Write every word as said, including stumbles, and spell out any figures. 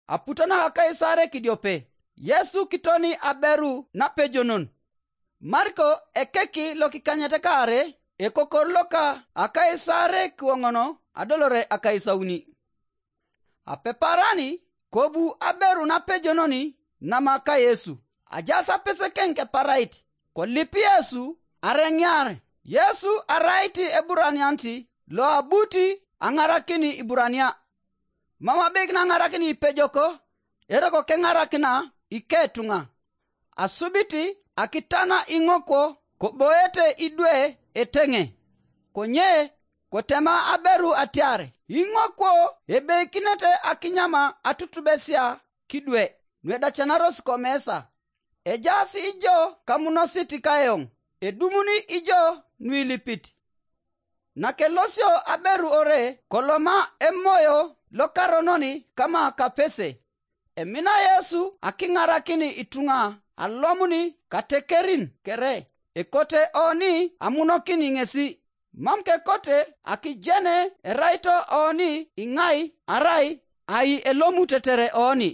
aputo naka Kaisare kidiope. Yesu kitoni aberu napejonon. Mariko ekeki lokikanyet kaare, ekokor loka Akaisare kiwoŋono adolore akaisauni. Apeparani kobu aberu napejononi nama ka Yesu. Ajas apeseken keparait, kolip Yesu areŋiar. Yesu arait Eburanianit loabuti aŋarakin Iburania. Mam abeikin aŋarakin ipejok, eroko keŋarakina iketuŋa. Asubit akitana iŋokwo koboete idwe eteŋe. Konye kotema aberu atiar, iŋokwo ebeikinete akinyama atutubesia kidwe nuedacanaros komesa. Ejaas ijo kamunosit kaeoŋ, edumuni ijo nuilipit. Nakelosio aberu ore koloma Emoyo Lokaronon kama kapese. Emina Yesu akiŋarakin ituŋa alomuni katekerin kere, ekote oni amunokin ŋesi. Mam kekote akijene eraito oni iŋai arai ai elomu tetere oni.